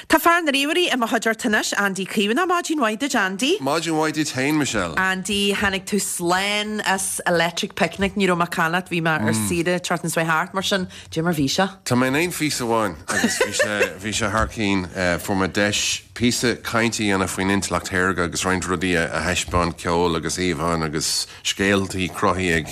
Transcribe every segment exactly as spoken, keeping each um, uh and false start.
Tá fear na ríomhairí i mo chuideachta anois, Andy Caomhánach. Maidin mhaith duit, Andy. Maidin mhaith duit féin, Michelle. Andy, tháinig tú slán as Electric Picnic. Ní raibh mé caillte, bhí mé ar saoire tseachtain seo thart, mar sin, cad é mar bhí sé? Tá mé in aon phíosa amháin agus bhí sé bhí sé thar cinn. Fuair mé deis píosa cainte a dhéanamh faoin intleacht shaorga agus roinnt rudaí a thaispeáint, ceol agus íomhánna agus scéaltaí cruthaithe ag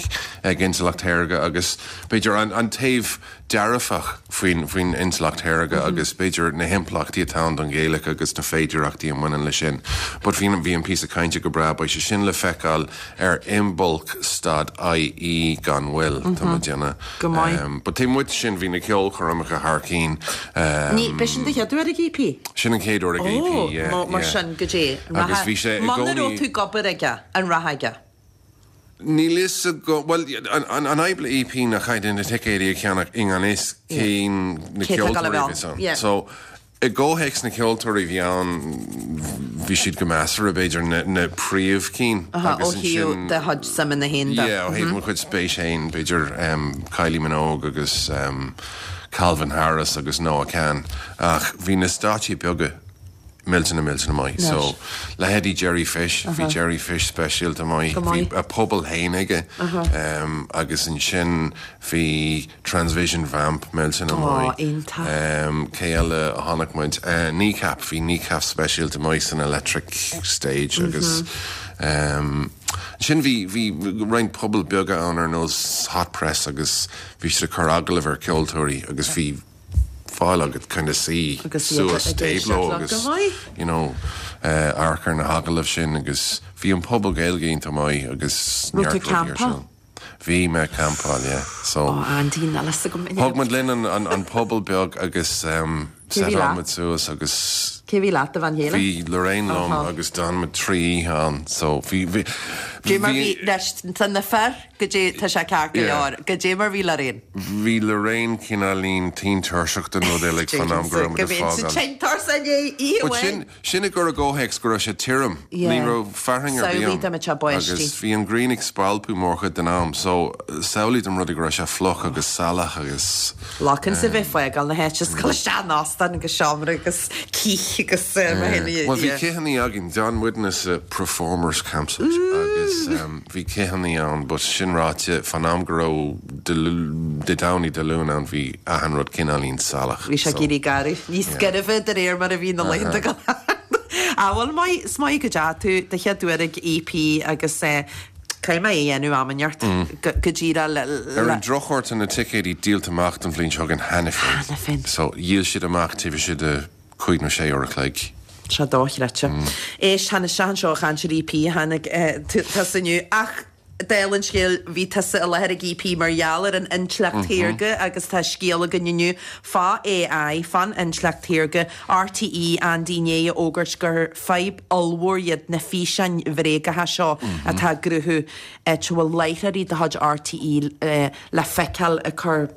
ag intleacht shaorga agus b'fhéidir an an taobh dearfach faoin faoin intleacht shaorga agus b'fhéidir na himpleachtaí atá ann don Ghaeilge agus na féidearthachtaí a mbaineann leis sin. But bhí bhí an píosa cainte go breá. Beidh sé sin le feiceáil ar Imbolc dot I E gan mhoill, tá mé ag déanamh. Go maith. Um, but taobh amuigh de sin bhí na ceolchoirmeacha thar cinn. Um, Ní b'shin do chéad uair ag E P? Sin an chéad uair ag E P, yeah, Ó, mar yeah. sin go dé. Agus bhí sé i Muna raibh gcónaí tú ag obair aige, an raibh aige? Níl fhios agam, bhuel, an an an fhadhb le E P ná caithfidh na ticéidí a cheannach i ngan fhios cén na Cé tá ag ceoltóirí dul a a bheith bhí ann? ann. Yeah. So i gcomhthéacs na ceoltóirí a bhí ann, bhí siad go measartha, b'fhéidir na na príomhchinn Aha, ó agus thaobh ansin do chuid suimeanna féin de. Yeah, ó thaobh mo chuid spéis féin, b'fhéidir um, Kylie Minogue agus um, Calvin Harris agus Noah Kahan, ach bhí na stáitsí beaga millteanach millteanach maith. So leithéidí Jerry Fish, bhí Jerry Fish speisialta maith, Go bhí maith. a pobal féin aige um, agus ansin bhí Transvision Vamp millteanach Ó, maith. iontach. Um, cé eile a chonaic muid? Uh, Kneecap, bhí Kneecap speisialta maith san Electric Stage agus um, sin bhí bhí roinnt puball beaga ann ar nós Hot Press agus bhí siad ag cur agallamh ar ceoltóirí agus bhí fáil agat kind of suí Agus iad suas ag éisteacht taobh leo leo. agus Go maith. you know, uh, amharc ar na hagallaimh sin agus bhí an puball Gaeilge iontach maith agus Raibh tú neart rudaí ar campáil? siúl. Bhí mé ag campáil, yeah. So Ó, Andy, níl fhios agam. thug muid linn an, an, an puball beag agus um, Cé bhí setáil leat? muid suas agus Cé bhí leat, do bhean chéile? bhí Lorraine liom Aha. agus d'fhan muid trí oíche ann, so bhí bhí Cé mar bhí leis tá na fir go dtí tá sé ceart go Yeah. leor, go dé mar bhí Lorraine. Bhí Lorraine cineáilín tinn tuirseach den rud uilig fan am go raibh muid Go ag mbíonn sa fágáil. tinn tuirseach oíche But sin sin i gcur i gcomhthéacs go raibh sé tirim. Yeah. Ní raibh fearthainn ar bith Samhlaigh ann. dá mbeadh sé báistí. Agus bhí an ghrian ag spalpadh mórchuid den am, so samhlaigh dom rud go raibh sé fliuch agus salach agus Lacan sa bheith fágáil na háite is dul isteach in óstán agus seomra agus cith agus eh, mar sin, Well, bhí yeah. cithí againn. D'fhan muidne sa Performers Campsite agus um, bhí cithí ann, but sin ráite, fan am go raibh Dé Domhnaigh Dé Luain ann bhí achan rud cineáilín salach. Bhí sé so- ag éirí garbh. Níos gairbhe de réir mar a bhí na laethanta go. Ah, bhuel maith is maith go dteachaigh tú do chéad uair ag E P agus eh, caithfidh mé é a dhéanamh am inteacht go go díreach le Ar le an drochuair tá na ticéidí díolta amach don bhliain seo chugainn cheana féin. Cheana féin. So dhíol siad amach taobh istigh de cúig nó sé uair a chloig. Sé dochreidte. Éist, tháinig isteach anseo chaint ar E P tháinig tusa inniu ach dála an scéil bhí tusa i láthair ag E P mar gheall ar an intleacht shaorga agus tá scéal againn inniu fá A I, fán intleacht shaorga. R T E, Andy, i ndiaidh a fhógairt gur fadhb ollmhór iad na físeáin bhréagacha seo atá á gcruthú áit a bhfuil láithreoirí de chuid R T E eh, le feiceáil ag cur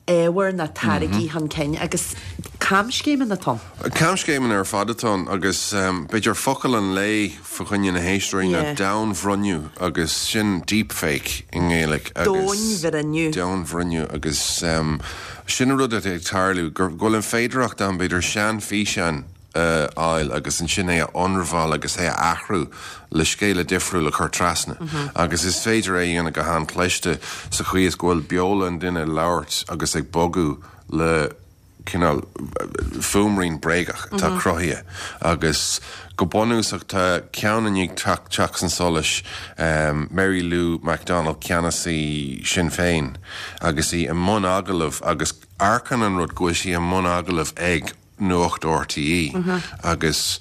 ábhar na táirgí chun cinn agus camscéimeanna atá ann. Camscéimeanna ar fad atá ann agus um, b'fhéidir focal an lae fá choinne na héisteoirí ná Yeah. domhainbhruinniú agus sin deepfake i nGaeilge agus Domhainbhruinniú. Domhainbhruinniú agus um, sin an rud atá ag tarlú gur go bhfuil an féidearthacht ann b'fhéidir seanfhíseán uh, fháil agus ansin é a ionramháil agus é a athrú le scéal difriúil a chur trasna. Mm -hmm. Agus is féidir é dhéanamh go han-chliste sa chaoi is go bhfuil beola an duine labhairt agus ag bogadh le cineál fuaimrian bréagach atá mm -hmm. cruthaithe agus go bunúsach tá ceann i ndiaidh teacht chun solais, um, Mary Lou McDonald, ceannasaí Sinn Féin, agus í i mbun agallamh agus amharcann an rud go bhfuil sí i mbun agallamh ag Nuacht R T E mm -hmm. agus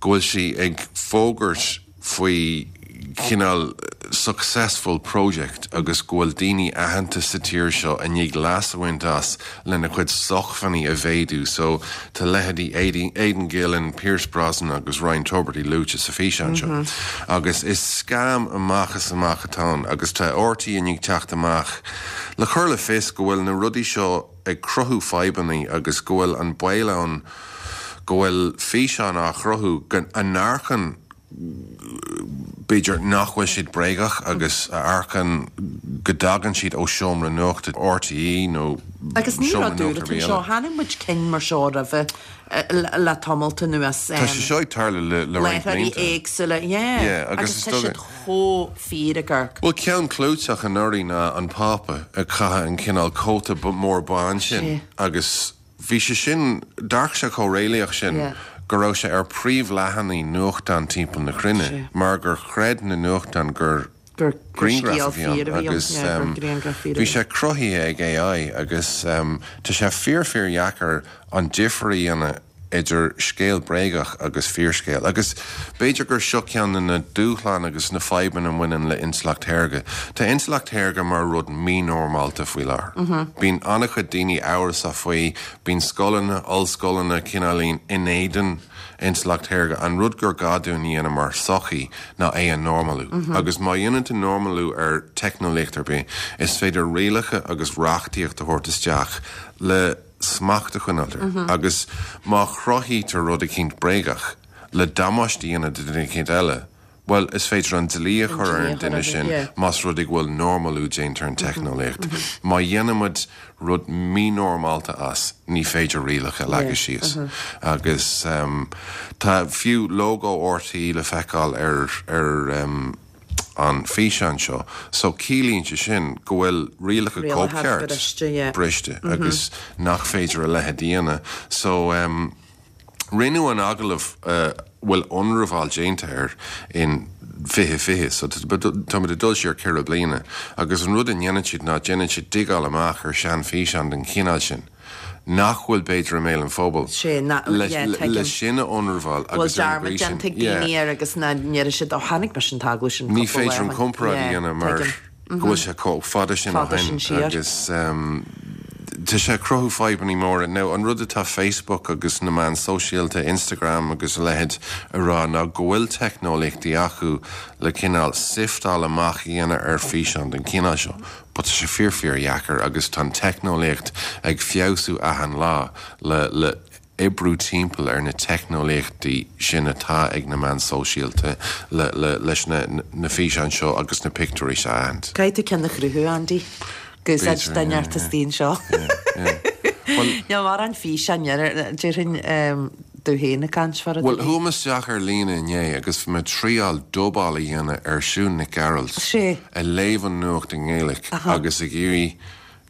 go bhfuil sí ag fógairt faoi cineál successful project agus go bhfuil daoine aitheanta sa tír seo i ndiaidh leas a bhaint as lena chuid sócmhainní a mhéadú, so tá leithéidí Aidan, Aidan Gillen, Pierce Brosnan agus Ryan Tubridy luaite sa físeán seo. Mm -hmm. Agus is scam amach is amach atá ann agus tá R T E i ndiaidh teacht amach le chur le fios go bhfuil na rudaí seo ag cruthú fadhbanna agus go bhfuil an baol ann go bhfuil físeán á chruthú go n-amharcann b'fhéidir nach bhfuil siad bréagach agus a amharcann go dtagann siad ó seomra nuachta R T E nó Agus ní seomra rud úr nuachta atá eile. seo, chonaic muid cinn mar seo roimhe le le tamalt anuas. Tá sé seo ag tarlú le le roinnt Láithreoirí blianta. éagsúla, yeah. Yeah, agus agus is tá dóigh- siad chomh fíor ag amharc. Well, ceann clúiteach anuraidh ná an Pápa ag caitheamh an cineál cóta b- mór bán sin Sé. agus bhí sé sin, d'amharc sé chomh réalaíoch sin Yeah. go raibh sé ar príomhleathanaigh nuachtán timpeall na cruinne Sé. mar gur chreid na nuachtáin gur Gur gur grianghraf scéal a bhí ann fíor a bhí ann, agus yeah, gur um, grianghraf fíor a bhí bhí sé cruthaithe ag A I agus um, tá sé fíor fíor dheacair an difear a dhéanamh idir scéal bréagach agus fíorscéal. Agus b'fhéidir gur seo ceann de na dúshláin agus na fadhbanna a bhaineann le intleacht shaorga. Tá intleacht shaorga mar rud mínormálta faoi láthair. Mm -hmm. Bíonn an-chuid daoine amhrasach faoi, bíonn scoileanna, ollscoileanna cineáilín in éadan intleacht shaorga, an rud gur gá dúinn a dhéanamh mar sochaí ná é a normalú. Mm -hmm. Agus má dhéanann tú normalú ar teicneolaíocht ar bith, is féidir rialacha agus reachtaíocht a thabhairt isteach le smacht a choinneáil air. Mm -hmm. Agus má chruthaítear rud eicínt bréagach le damáiste a dhéanamh do dhuine eicínt eile, well, is féidir an dlí a chur ar an duine sin yeah. más rud é go bhfuil normalú déanta ar an teicneolaíocht. Mm -hmm. Má dhéanaimid rud mínormálta as, ní féidir rialacha a leagadh síos. Uh -huh. Agus um, tá fiú logo R T E le feiceáil ar ar um, an físeán seo, so ciallaíonn sé sin go bhfuil rialacha Rialacha cóipcheart briste, yeah. briste mm -hmm. agus nach féidir a leithéid a dhéanamh. So um, rinneadh an agallamh uh, bhfuil ionramháil déanta air in fiche fiche, so tá ag dul siar ceithre bliana, agus an rud a dhéanann siad ná déanann siad digáil amach ar seanfhíseán den chineál sin. Nach bhfuil b'fhéidir i mbéal an phobail. Sé, na- le, yeah, le, tuigim. le sin a ionramháil Bhfuil agus ar an dearmad gcaoi sin- déanta ag Yeah. daoine air agus na ndéarfaidh siad ó chonaic mise an t-agallamh sin Ní cúpla féidir an lá. comparáid a Yeah, dhéanamh mar tuigim. go bhfuil sé chomh fada sin ó Fada sin shin siar. agus um, tá sé cruthú fadhbanna móra. Now, an rud atá Facebook agus na meáin sóisialta, Instagram agus a leithéid a rá ná go bhfuil teicneolaíochtaí acu le cineál sifteáil amach a dhéanamh ar físeán den chineál seo. But tá sé fíor fíor dheacair agus tá teicneolaíocht ag feabhsú achan lá le le oibriú timpeall ar na teicneolaíochtaí sin atá ag na meáin sóisialta le, le, leis na, na físeáin seo agus na pictiúirí seo a aithint. Caithfidh tú ceann a chruthú, Andy. Gus B'fhéidir, den yeah, artaín seo. Well, Ní mar an físeán déarfainn tú féin ag caint far Well, chuaigh mé isteach ar líne inné agus bhí mé ag triail dubáil a dhéanamh ar Siún Nic Gearailt Sé. ag léamh an nuacht i nGaeilge agus ag iarraidh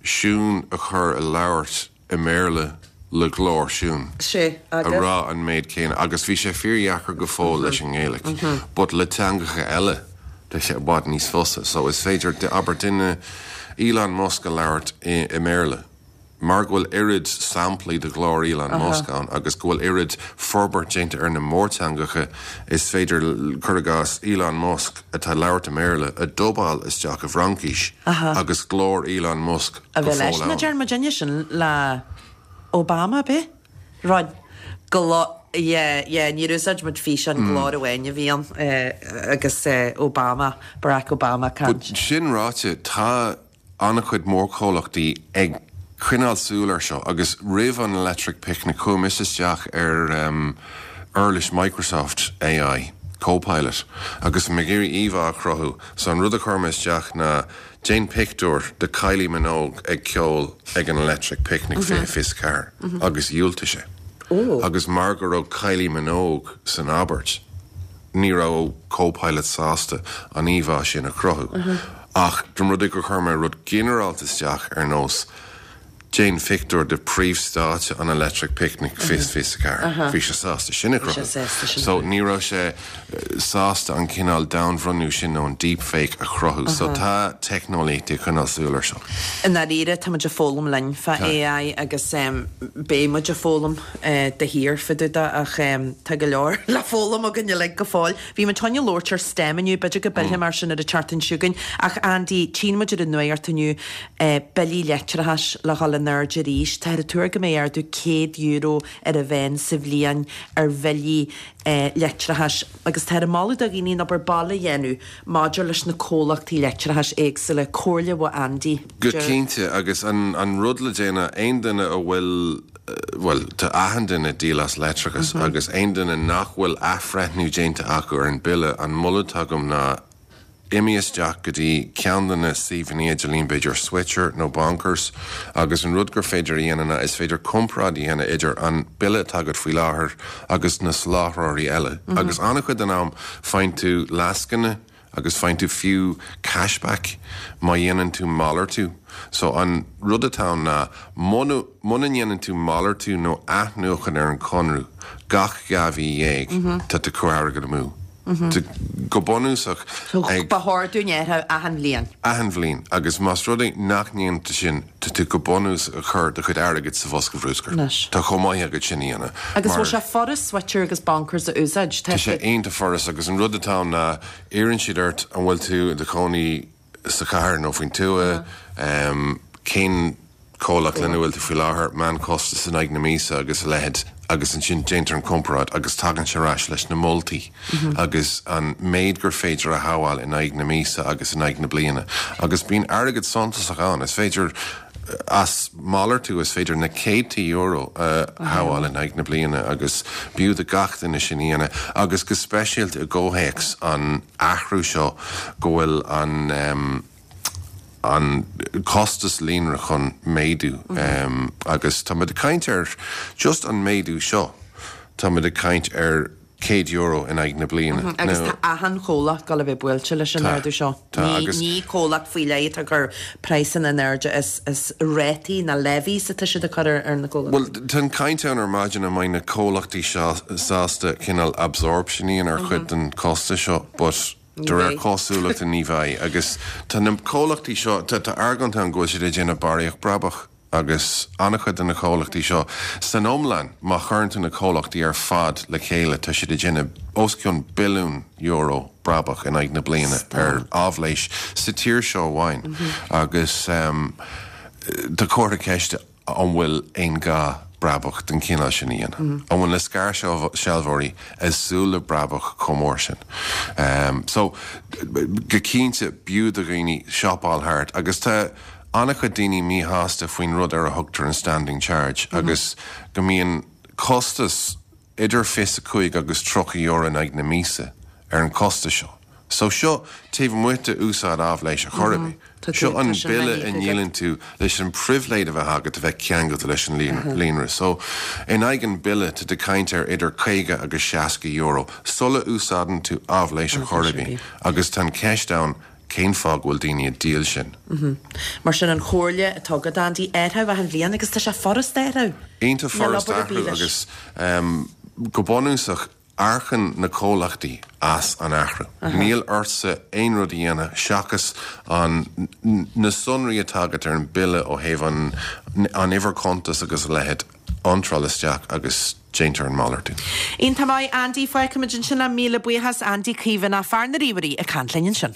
Siún a chur ag labhairt i mBéarla le glór Siún. Sé a agus rá an méid céanna agus bhí sé fíordheacair go fóill leis an nGaeilge, but le teangacha eile tá sé i bhfad níos fusa, so is féidir abair duine Elon Musk a labhairt i, i mBéarla. Mar go bhfuil oiread samplaí de ghlór Elon Musk ann agus go bhfuil oiread forbairt déanta ar na mórteangacha, is féidir cur i gcás Elon Musk atá ag labhairt i mBéarla a dubáil isteach i bhFraincis agus glór Elon Musk a go bheith leis fóill na ann. dear duine sin le Obama be? Rud go yeah, yeah, ní úsáid muid físeán, glór amháin a bhí ann eh, agus eh, Obama, Barack Obama But caint. sin ráite, tá an-chuid mórchomhlachtaí ag coinneáil súil air seo agus roimh an Electric Picnic chuaigh mise isteach ar um, uirlis Microsoft A I Copilot agus mé ag iarraidh íomhá a chruthú, so an rud a chuir mé isteach ná déan pictiúr de Kylie Minogue ag ceol ag an Electric Picnic fiche fiche ceathair agus dhiúltaigh sé. Oh. Agus mar go raibh Kylie Minogue san abairt, ní raibh Copilot sásta an íomhá sin a chruthú. Ach dom rud gur chuir mé rud ginearálta isteach ar nós déan pictiúr de príomhstáitse an Electric Picnic fiche fiche ceathair. Bhí sé sásta sin a chruthú. Sásta sin. So ní raibh sé eh, sásta an cineál domhainbhronnú sin nó an deepfake a chruthú, so tá teicneolaíocht ag coinneáil súil air seo. I ndáiríre tá muid ag foghlaim linn fá A I agus um, beidh muid ag foghlaim uh, de shíor fá dtaobh de ach um, tá go leor le foghlaim againn uilig go fóill. Bhí muid chun labhairt ar STEM inniu, b'fhéidir go bpillfidh mar sin ar an tseachtain seo chugainn ach Andy, tchíonn muid ar an nuacht inniu uh, billí leictreachais le dhul in airde arís. Tá an tuar go mbeidh ardú céad euro ar a mhéad sa bhliain ar bhillí uh, leictreachais agus tá an moladh do dhaoine an obair baile a dhéanamh maidir leis na comhlachtaí leictreachais éagsúla, comhairle ó Andy. Go cinnte agus an, an rud le déanamh aon duine a bhfuil bhuel, tá achan duine ag díol as leictreachas agus aon duine nach bhfuil athbhreithniú déanta acu ar an bille, an moladh atá agam ná imigh isteach go dtí ceann de na suíomhanna idirlín, b'fhéidir Switcher nó Bonkers, agus an rud gur féidir a dhéanamh ná is féidir comparáid a dhéanamh idir an bille atá agat faoi láthair agus na soláthróirí eile. Agus an-chuid den am faigheann tú lascaine agus faigheann tú fiú cashback má dhéanann tú malartú. So an rud atá ann ná muna muna ndéanann tú malartú nó athnuachan ar an conradh gach dhá mhí dhéag, tá tú ag cur airgead amú. Go bunúsach So ag ba chóir dúinn athrú achan bhliain. Achan bhliain, agus más rud é nach ndéanann tú sin, tá tú go bunúsach ag cur do chuid airgid sa bhosca bhruscair. Anois. Tá chomh maith agat sin a dhéanamh. Agus bhfuil sé furast Switcher agus Bonkers a úsáid? Tá sé iontach furast agus an rud atá ann ná iarrann siad ort an bhfuil tú i do chónaí sa chathair nó faoin tuath, cén comhlacht lena bhfuil tú faoi láthair, meánchostas in aghaidh na míosa agus a leithéid, agus ansin déantar an comparáid agus tagann sé ar ais leis na moltaí agus an méid gur féidir a shábháil in aghaidh na míosa agus in aghaidh na bliana. Agus bíonn airgead suntasach ann, is féidir as malartú is féidir na céadta euro a shábháil in aghaidh na bliana agus b'fhiú do gach duine sin a dhéanamh agus go speisialta i gcomhthéacs an athrú seo go bhfuil an an costas líonra chun méadú agus tá muid ag caint ar just an méadú seo, tá muid ag caint ar céad euro in aghaidh na bliana. Agus tá achan chomhlacht ag gabháil a bheith buailte leis an ardú seo. Ní comhlacht faoi leith atá ag cur praghsanna in airde, is is rátaí na levies atá siad ag cur ar na comhlachtaí. Bhuel, tá an caint ann ar maidin an mbeidh na comhlachtaí seo sásta cineál absorption a dhéanamh ar chuid den costas seo, but de réir cosúlachta ní bheidh. Agus tá na comhlachtaí seo, tá tá argóint ann go bhfuil siad ag déanamh barraíocht brabach agus an-chuid de na comhlachtaí seo san iomlán, má chuireann tú na comhlachtaí ar fad le chéile, tá siad ag déanamh os cionn billiún euro brabach in aghaidh na bliana ar áibhléis sa tír seo amháin. Agus tá comhartha ceiste an bhfuil aon gá brabach den chineál sin a dhéanamh? An bhfuil na scairshealbhóirí ag súil le brabach chomh mór sin? So, go cinnte, b'fhiú do dhaoine siopáil thart agus tá an-chuid daoine míshásta faoin rud ar a thugtar an standing charge agus go mbíonn costas idir fiche a cúig agus tríocha euro in aghaidh na míosa ar an costas seo. So seo taobh amuigh de úsáid áibhléis ar chor ar bith. Seo an bille a ndíolann tú leis an pribhléid a bheith agat a bheith ceangailte leis an líonra. So in aghaidh an bille tá tú ag caint ar idir caoga agus seasca euro sula úsáideann tú áibhléis ar chor ar bith agus tá an ceist ann cén fáth go bhfuil daoine ag díol sin. Mar sin an chomhairle atá agat, Andy, athrú achan bhliain agus tá sé furast athrú. Iontach furast athrú agus go bunúsach íocann na comhlachtaí as an athrú. Níl ortsa aon rud a dhéanamh seachas an na sonraí atá agat ar an bille ó thaobh an an uimhir cuntas agus a leithéid a iontráil isteach agus déantar an malartú. Iontach maith, Andy, fágfaimid ansin é, míle buíochas, Andy Caomhánach, fear na ríomhairí ag caint linn ansin.